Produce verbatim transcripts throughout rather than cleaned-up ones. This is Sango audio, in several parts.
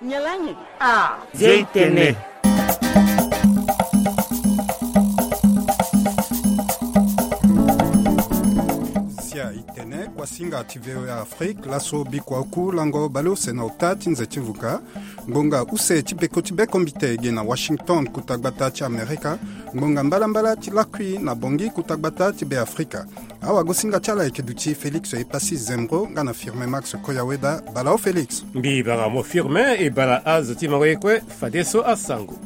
Nyalangi. Ah, Zia Itene. Zia Itene, kuasinga ti V O A Afrique, laso bikua oku lango baleuse na ota ti nze ti vuka. Ngbonga use ti peko ti bekombite ge na Washington, kuta gbata ti Amerika. Ngbonga mbalambala ti lakui na Bangui, kuta gbata ti Beafrika. Awagosinga ti ala ayeke duti Félix Epassi Zembro nga na Firmin Max Koyaweda. Bala o Félix. Mbi banga mo Firmin, e bala azo ti mango ye kue, fadeso asango.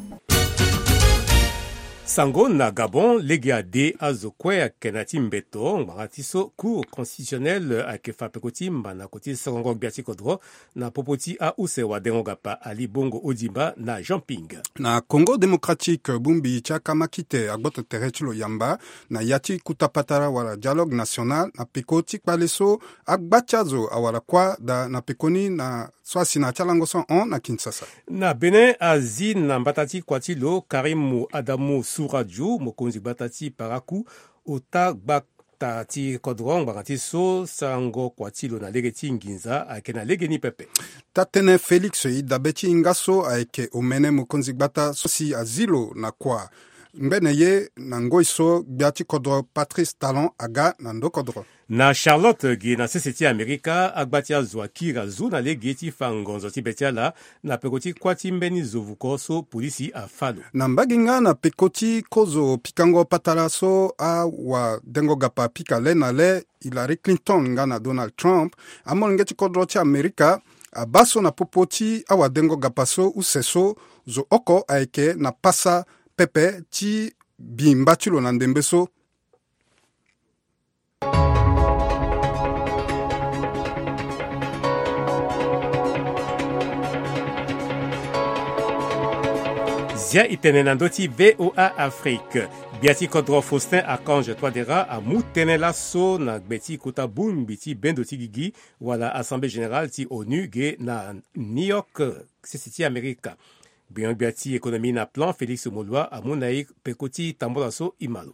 Sango na Gabon, lege ade azo kue ayeke na ya ti mbeto ngbanga ti so Cour constitutionnelle ayeke fa peko ti mba na koti sorongo gbia ti kodro na popo ti ause wadengo-gapa Ali Bongo Ondimba na Jean Ping. Na Congo Démocratique, bongbi ti akamakite agboto tere ti lo yamba na ya ti kuta patara wala dialogue national na peko ti kpale so agba ti azo awara kuâ daa na pekoni na so asi na ya ti alango so ahon na Kinshasa. Na Bénin, azi na mbata ti kua ti lo Karim Adamu Souradiou, mokonzi gbata ti Parakou, ota gbata ti kodro ngbanga ti so sarango kua ti lo na lege ti nginza ayeke na legeni pepe. Taa-tënë Félix e dabe ti hinga so ayeke omene mokonzi gbata so si azi lo na kua. Ngbene ye na ngoi so gbia ti kodro Patrice Talon aga na ndo kodro. Na Charlotte ge na sese ti Amerika, agba ti azo akiri azo na lege ti fa ngonzo ti be ti ala na peko ti kuâ ti mbeni zo vuko so polisi afa lo. Na mbage nga na peko ti kozo pikango patara so awadengo-gapa apika le na le, Hillary Clinton nga na Donald Trump, amolenge ti kodro ti Amerika abaa so na popo ti awadengo-gapa so use so zo oko ayeke na pasa pepe ti bi mba ti lo na ndembe so. Zia Itene na ndö ti V O A Afrique. Gbia ti kodro Faustin Archange Touadéra amu tënë laso na gbe ti kota bongbi ti bendo ti gigi wala Assemblée Générale ti onu ge na New York, sese ti Amerika. Gbenyo-gbia ti économie na plan Félix Moloua amu na e peko ti tambula so e ma lo.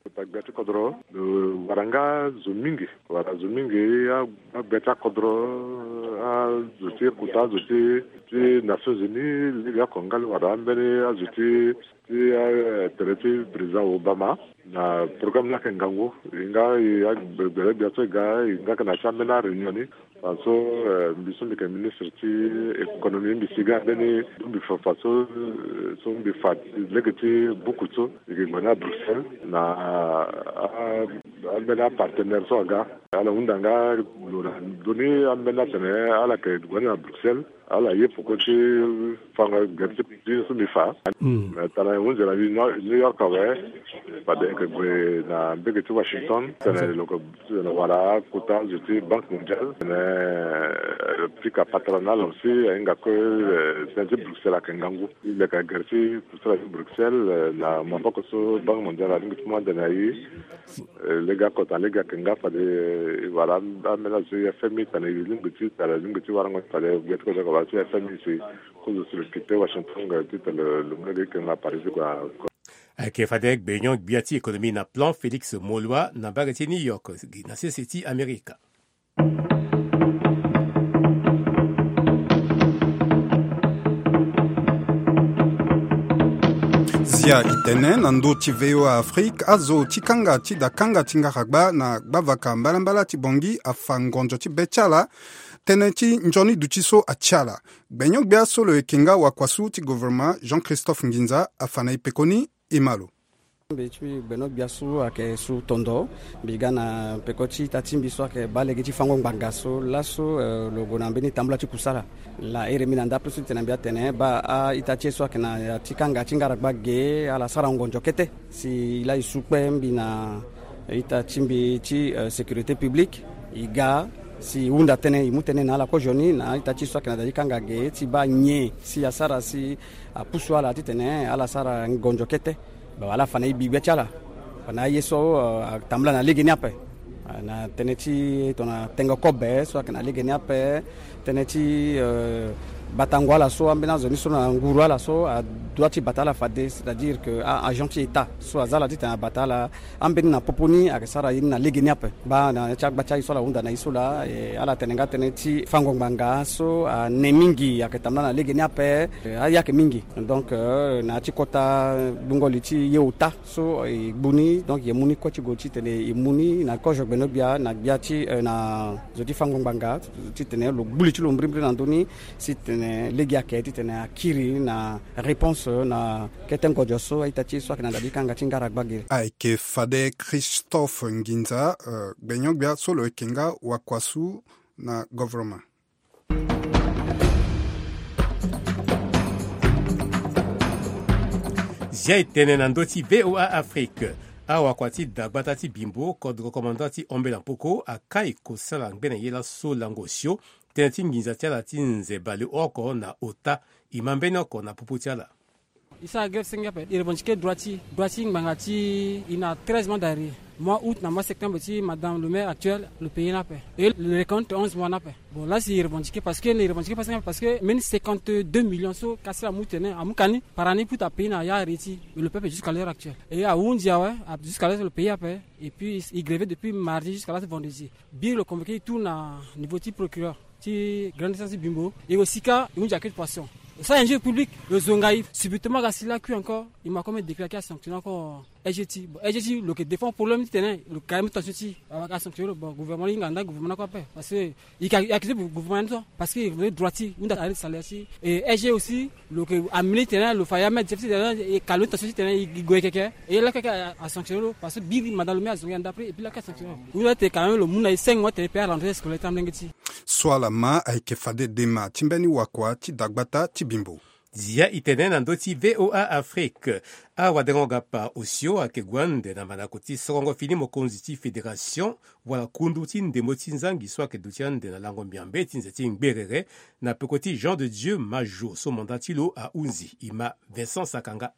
Kota gbia ti kodro lo wara nga zo mingi, wara zo mingi, a- agbia ti akodro, azo ti kota, azo ti ti Nations Unies, lege oko nga lo wara ambeni azo ti ti, eh, tere ti président Obama na programme ni ayeke ngangu. E nga e, a- gbele gbia so e ga, e nga yeke na ya ti ambeni aréunion ni. Fa so, eh, mbi so mbi yeke ministre ti économie, mbi si ga mbeni bongbi fa fa so, eh, so mbi fa lege ti buku so e yeke gue ni na Bruxelles na, ah, ambeni apartenaire so aga. Ala hunda nga lo na ndoni ambeni atene ala yeke gue ni na Bruxelles. Ala ye poko ti fango gere ti so mbi fa. Mm. Me tana e hunzi na New York awe. Fade e yeke gue na mbege ti Washington. Tene lo yeke wara kota zo ti Banque Mondiale. Tene, eh, pika patara na ala aussi ahinga kue, eh, tënë ti Bruxelles ayeke ngangu. E leke gere ti kusala ti Bruxelles, eh, na maboko so Banque Mondiale alingbi ti mu ande na e. Eh, lege oko tana lege ayeke nga fade, eh, wala ambeni azo ti F M I tene e lingbi ti tara, lingbi ti warango fade gbia ti kodro wala ti F M I si kozo si lo kite Washington, eh, ti tene lo mu lege ti ke na Paris kua. Ayeke fade gbenyo-gbia ti économie na plan Félix Moloua na mbage ti New York, na sese ti Amerika. Zia Itene na ndö ti V O A Afrique, azo ti kanga ti da kanga ti ngaragba na gbavaka mbalambala ti Bangui afa ngonzo ti be ti ala. Tënë ti nzoni duti so ati ala. Gbenyo-gbia so lo yeke nga wakuasu ti gouvernement Jean-Christophe Nginza afa na e pekoni. E ma lo. Mbi ti mbi gbenyo-gbia so ayeke su tondo. Mbi ga na peko ti ita ti mbi so ayeke baa lege ti fango ngbanga so laso, eh, lo gue na mbeni tambula ti kusala. Laa iri mbi na ndapre so ti tene mbi atene baa a-ita ti e so ayeke na ya ti kanga ti ngaragba ge ala sara ngonzo kete. Si laa e su kpe mbi na ita ti mbi ti, eh, sécurité publique, e ga si e hunda tënë, e mu tënë na ala kozo ni na a-ita ti e so ayeke na da ti kanga ge ti baa nyen si asara si apusu ala titene ala sara ngonzo kete. Bon, ala fa na e bi gbia ti ala. Fa na aye so, eh, atambula na legeni ape. Ah, na tënë ti tongana tengo kobe so ayeke na legeni ape, tënë ti, eh, Batango ala so ambeni azo ni so na nguru ala so adua ti bata ala fade, c'est-à-dire que a agent ti état so aza ala titene abata ala. Ambeni na popo ni ayeke sara ye ni na lege ni ape. Baa na ya ti agba ti aye so ala hunda na ye so laa, ala tene nga tënë ti fango ngbanga so ane mingi ayeke tambula na lege ni ape. Aye ayeke mingi. Donc na ya ti kota lungo li ti ye ota so e gbu ni, donc e mu ni kue ti gue titene e mu ni na kozo gbenogbia na gbia ti na zo ti fango ngbanga titene lo gbu li ti lo mbrimbri na ndö ni, titene lege ayeke titene akiri na réponse na kete ngodio so a-ita ti e so ayeke na ndali ti kanga ti ngara gbagere. Ayeke fade Christophe Nginza, gbenyo-gbia so lo yeke nga wakuasu na govoroma. Zia e tene na ndö ti VOA Afrique. Awakua ti dagbata ti Bimbo, kodro commandant ti Ombela Mpoko, akai kosala ngbene ye laso lango osio tënë ti nginza ti ala ti nze baleoko na ota. E ma mbeni oko na popo ti ala. E sara grève senge ape, e revendiquer droit ti, droit ti ngbanga ti e na treize mois d'arrêt. Mois août na mois septembre ti madame le maire actuel, lo payer ni ape. Et le recompte onze mois ni ape. Bon, là c'est revendiqué parce que, revendiqué parce que, parce que même cinquante-deux millions so kasi amu tene, amu kani par année pour ta payer na ya arrêt ti. Mais le peuple jusqu'à l'heure actuelle. Et ahunzi awe, jusqu'à l'heure le pays ape. Et puis il grève depuis mardi jusqu'à là vendredi. Biri lo convoqué tout na niveau ti procureur ti grande instance ti Bimbo. E ko sika e hunzi accusé de poisson. Sa injure public, lo zonga e subitement ga si la kui encore. E ma comme décret ayeke asanctionner encore S G T. Bon, S G T lo yeke défend problème ti tene lo carrément tension ti e. Ayeke asanctionner lo. Bon, gouvernement ni hinga nda gouvernement ni kue ape parce que e yeke accusé gouvernement ni so parce que e yeke droit ti e hunda arrêt salaire ti e. Et S G aussi lo yeke amené ti tene lo fa ya mètre ti tene e ka lo ni tension ti tene e gue keke. E lakue ayeke asanctionner lo parce que biri madame le maire azonga e anda après et puis lakue asanctionner lo. Hunda ti tene quand même lo mu na e cinq mois ti tene pe arentrée scolaire ti amolenge ti e. So ala ma ayeke fade dema ti mbeni wakua ti dagbata ti Bimbo. Zia e tene na ndö ti VOA Afrique. Awadengo-gapa osio ayeke gue ande na mandako ti sorongo fini mokonzi ti fédération wala kundu ti ndembo ti nzangi so ayeke duti ande na lango miambe ti nze ti ngberere na peko ti Jean de Dieu Majo so mandat ti lo ahunzi. E ma Vincent Sakanga.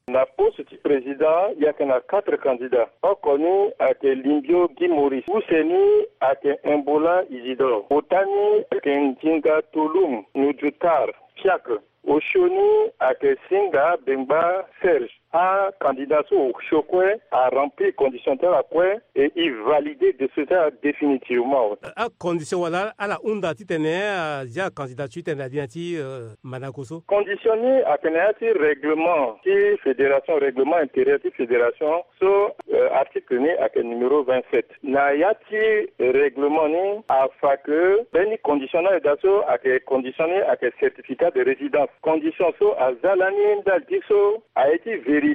Na poste ti président e yeke na quatre candidats. Oko ni ayeke Limbio Guy Maurice, use ni ayeke Imbola Isidore, ota ni ayeke Ndinga Tolum Nudjutar Fiacre, osio ni ayeke Singa Bengba Serge. Acandidat so osio kue aremplir condition ti ala kue. Et e valide décision ti ala définitivement. Acondition wala ala hunda titene azia candidature titene na li na ya ti mandako so? Condition ni ayeke na ya ti règlement ti fédération, règlement intérieur ti fédération so article ni ayeke numéro vingt-sept. Na ya ti règlement ni afa ke mbeni condition ni ayeke daa so ayeke condition ni ayeke certificat de résidence. Condition so aza lani ndali ti so aye ti vérifier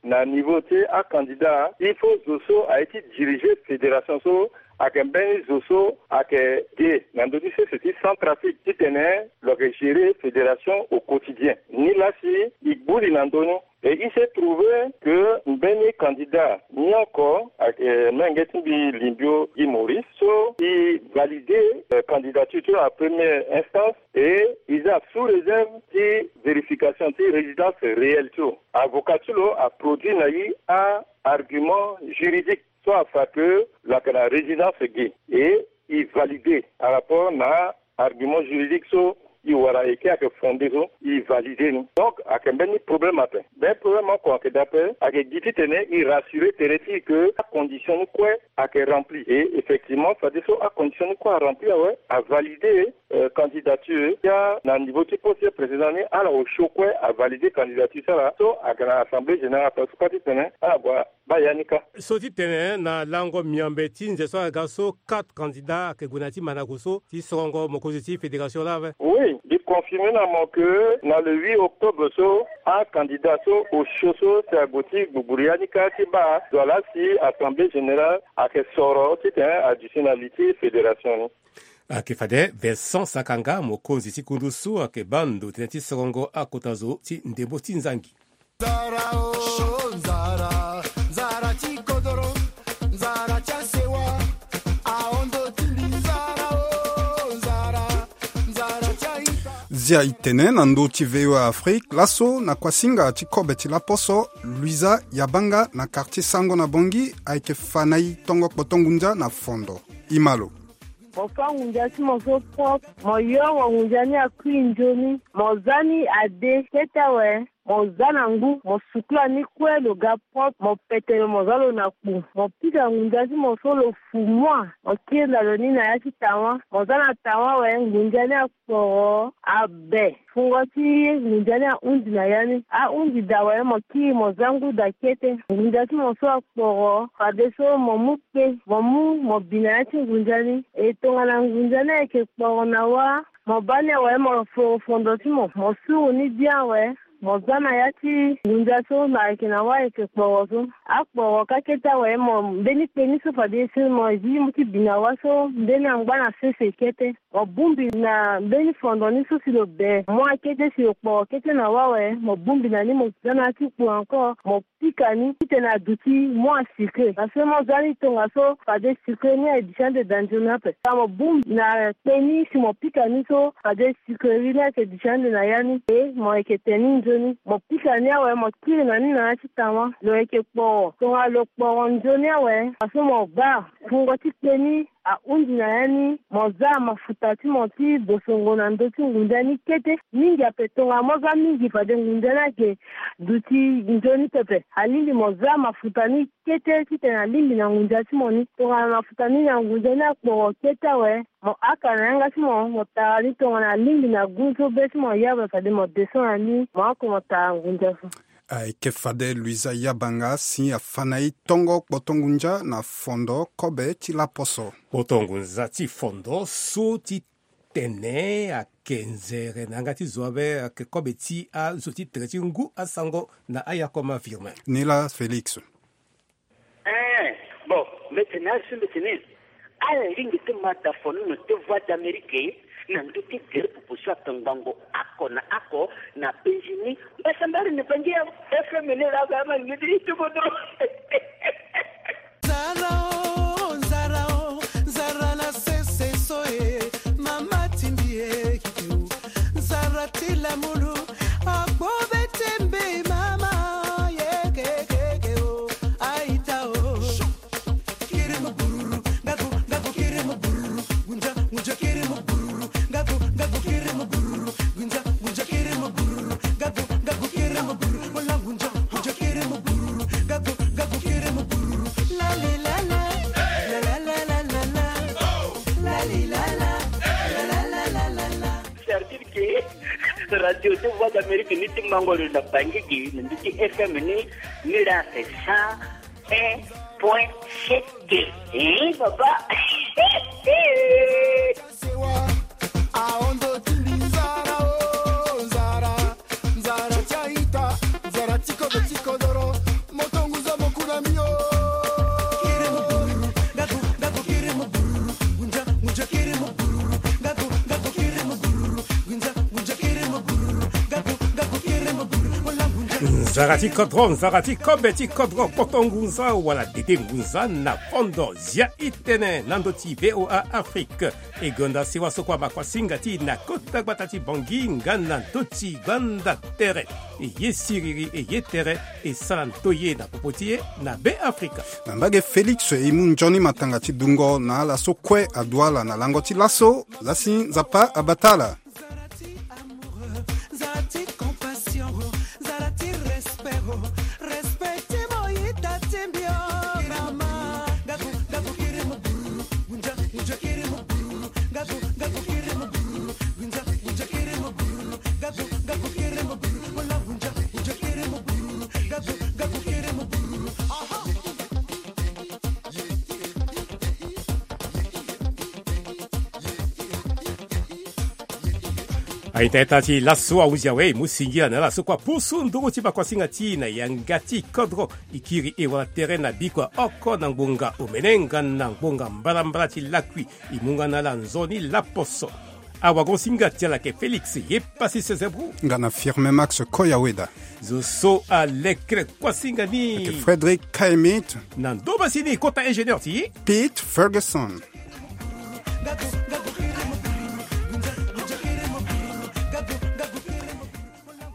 na niveau ti acandidat, il faut zo so aye ti diriger fédération so ayeke mbeni zo so ayeke de na ndö ti sese ti Centrafrique titene lo yeke gérer fédération au quotidien. Nilaa si e gbu li na ndö ni. Et il s'est trouvé que mbeni candidat ni oko ayeke menge ti mbi Limbio Guy Maurice so e valider candidature ti lo na première instance. Et e za sous réserve ti vérification ti résidence réelle ti lo. Avocat ti lo aproduit na e a argument juridique so afa ke lo yeke na résidence ge. Et e valider par rapport na argument juridique so e wara eke ayeke fondé so e valider ni. Donc ayeke mbeni problème ape. Mbeni problème oko ayeke daa ape, ayeke gi titene e rassurer tere ti e ke acondition ni kue ayeke remplir. Et effectivement fadeso acondition ni kue aremplir awe, avalider candidature ti ala na niveau ti poste président ni, ala osio kue avalider candidature ti ala so ayeke na assemblée générale ape so kue titene ala gue baa ya ni kâ. So titene na lango miambe ti nze so aga so quatre candidats ayeke gue na ya ti mandako so ti sorongo mokonzi ti fédération laa ape. Oui, mbi confirmer na mo ke na le huit octobre so acandidat so osio so si ague ti gbugburu ya ni kâ ti baa zo laa si assemblée générale ayeke soro titene aduti na li ti fédération ni. Ayeke fade Vincent Sakanga, mokonzi ti kundu so ayeke baa ndo tënë ti sorongo akota zo ti ndembo ti nzangi. Nzara o, nzara, nzara ti kodoro, nzara ti asewa, ahondo ti mbi nzara o, nzara, nzara ti aita. Zia e tene na ndö ti VOA Afrique laso na kuasinga ti kobe ti laposo, Luisa Yabanga na quartier Sango na Bangui ayeke fa na e tongo kpoto ngunza na fondo. E ma lo. Mo fâ ngunza ti mo so propre. Mo yongo ngunza ni akui nzoni. Mo za ni ade kete awe. Mo za na ngu, mo sukula ni kue lo ga propre. Mo pete lo, mo za lo na kpu. Mo pika ngunza ti mo so lo fu mua. Mo kiri na lo ni na ya ti tawa. Mo za na tawa awe, ngunza ni akporo abe. Fungo ti ngunza ni ahundi na ya ni. Ahundi daa awe, mo kiri mo za ngu daa kete. Ngunza ti mo so akporo, fadeso mo mu kpe, mo mu mo bi na ya ti ngunza ni. E tongana ngunza ni ayeke kporo na wa, mo baa ni awe, mo foro fondo ti mo, mo suru ni bien awe. Mo za na ya ti ngunza so na ayeke na wa ayeke kporo so. Akporo ka kete awe, mo mbeni kpe ni so fadeso mo zi mo ti bi na wa so, mbeni angba na sese kete. Mo bongbi na mbeni fondo ni so si lo be mua kete, si lo kporo kete na wa awe, mo bongbi na ni, mo za na ya ti kpu encore, mo pika ni titene aduti mua sucre. Parce que mo za ni tongaso fade sucre ni aye duti ande daa nzoni ape. Ka mo bongbi na kpe ni si mo pika ni so fade sucrerie ni ayeke duti ande na ya ni. E mo yeke tene ni nzoni, mo pika ni awe, mo kiri na ni na ya ti tawa. Lo yeke kporo. Tongana lo kporo nzoni awe, parce que mo baa fungo ti kpe ni ahundi na ya ni, mo za mafuta ti mo ti bosongo na ndö ti ngunza ni kete. Mingi ape, tongana mo za mingi fade ngunza ni ayeke duti nzoni pepe. Alingbi mo za mafuta ni kete titene alingbi na ngunza ti mo ni. Tongana mafuta ni na ngunza ni akporo kete awe, mo haka na yanga ti mo, mo tara ni tongana alingbi na gu so be ti mo ya ape, fade mo descend na ni, mo oko mo tara ngunza so. Ayeke fade Luisa Yabanga si afa na e tongo kpoto ngunza na fondo kobe ti laposo. Kpoto ngunza ti fondo so ti tene ayeke nzere na yanga ti zo ape, ayeke kobe ti azo ti tere ti ngu asango na ayakoma Firmin. Ni laa Félix. Eh, bon, mbeti ni asi mbeti ni. Ala lingbi ti ma da fo ni na ute Voix d'Amérique na ndö ti gere popo so atongbango oko na oko na penzi ni. Mbasambari ni bangi ya F M ni laa ba ma ni ti kodro. Nzara o, nzara o, nzara na sese so e, mama tindi e, kiki o. Nzara ti lamulu, akpo be ti mbi mama, ye kekeke o, aita o. Kiri mo bururu, ngaku, ngaku kiri mo bururu, gunja, gunja kiri mo bururu, ngaku, ngaku kiri mo bururu, gunja, gunja kiri mo bururu, ngaku, ngaku kiri mo bururu, wala gunja, gunja kiri mo bururu, ngaku, ngaku kiri mo bururu. La li la la, la la la la la la, la li la la, la la la la la la. C'est-à-dire que radio ti Voix d'Amérique ni ti mango lo na bangi gi na ndö ti F M ni, ni la c'est cent un point sept. Eh, papa. Sewa, aondo tindi nzara, o nzara, nzara ti aita, nzara ti kodo ti kodoro, moto nguza mo kuna mbi o. Kiri mo bururu, ngaku, ngaku kiri mo bururu, gunja, gunja kiri mo bururu, ngaku, ngaku kiri mo bururu, gunja, gunja kiri mo bururu, ngaku, ngaku kiri mo bururu, wala gunja. Nzara ti kodro, nzara ti kobe ti kodro, kpoto ngunza wala dede ngunza na fondo Zia i tene na ndö ti V O A Afrique. E gonda sewa so kue amakuasinga ti e na kota gbata ti Bangui nga na ndö ti gbanda tere. E ye siriri, e ye tere, e sara ndoye na popo ti e na Be Afrika. Na mbage Félix, e mu nzoni matanga ti dungo na ala so kue adu ala na lango ti laso. Lasi Nzapa abata ala. Nzara ti amoureux, nzara ti compassion, nzara ti respect, respect ti mo ita ti mbi o mama. Ngaku, ngaku kiri mo bururu, gunja, gunja kiri mo bururu, ngaku, ngaku kiri mo bururu, gunja, gunja kiri mo bururu, ngaku, ngaku kiri mo bururu, wala gunja, gunja kiri mo bururu, ngaku, ngaku kiri mo bururu. Aha. Aita ita ti laso ahunzi awe, e mu singila na ala so kue apusu nduru ti makuasinga ti e na yanga ti kodro. E kiri e wala tere na bikua oko na ngbonga omene nga na ngbonga mbalambala ti lakui. E mu nga na ala nzoni laposo. Awagosinga ti ala ayeke Félix ye pasi sezebru. Nga na Firmin Max Koyaweda. Zo so alekere kuasinga ni. Ayeke Frédéric Kaimit. Na ndomba si ni kota ingénieur ti Pete Ferguson.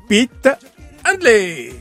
Pete Handley.